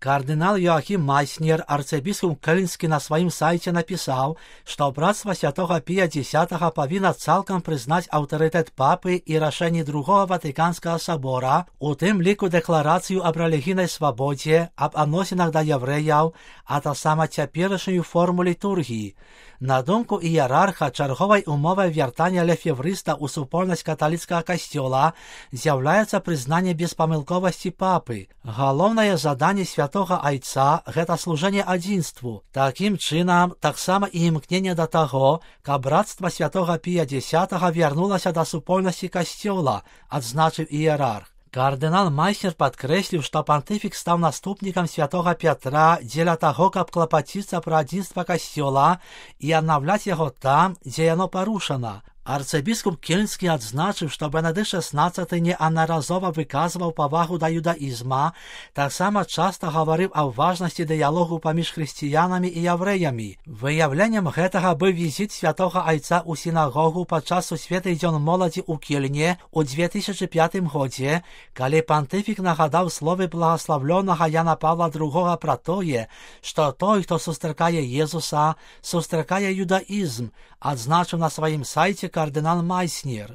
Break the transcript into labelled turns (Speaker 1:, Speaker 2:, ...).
Speaker 1: Кардинал Йоахим Майснер, арцебіскуп Кельнскі, на сваім сайце напісаў, што брацтва святога Пія X павінна цалкам прызнаць аўтарытэт папы і рашэнні Другого Ватыканскага сабора, у тым ліку дэкларацыю аб рэлігійнай свабодзе, аб адносінах да яўрэяў, а таксама цяперашнюю форму літургіі. На думку іерарха, чарговай умовай вяртання лефеврыста ў супольнасць каталіцкага касцёла з'яўляецца прызнанне беспамылковасці папы. Галоўнае заданне святога айца – гэта служэнне адзінству. Такім чынам, таксама і імкненне да таго, каб брацтва святога Пія X вярнулася да супольнасці касцёла, адзначыў іерарх. Кардынал Майснер падкрэсліў, што пантыфік стаў наступнікам святога Пятра дзеля таго, каб клапаціцца пра адзінства касцёла і аднаўляць яго там, дзе яно парушана. Арцыбіскуп Кельнскі адзначыў, што Бенедыкт XVI неаднаразова выказваў павагу да юдаізма, таксама часта гаварыў аб важнасці дыялогу паміж хрысціянамі і яўрэямі. Выяўленнем гэтага быў візіт святога айца ў сінагогу падчас сусветны дзён моладзі ў Кельне ў 2005 годзе, калі пантыфік нагадаў словы благаславлёнага Яна Павла II пра тое, што той, хто сустракае Езуса, сустракае юдаізм, адзначыў на сваім сайце кардынал Майснер.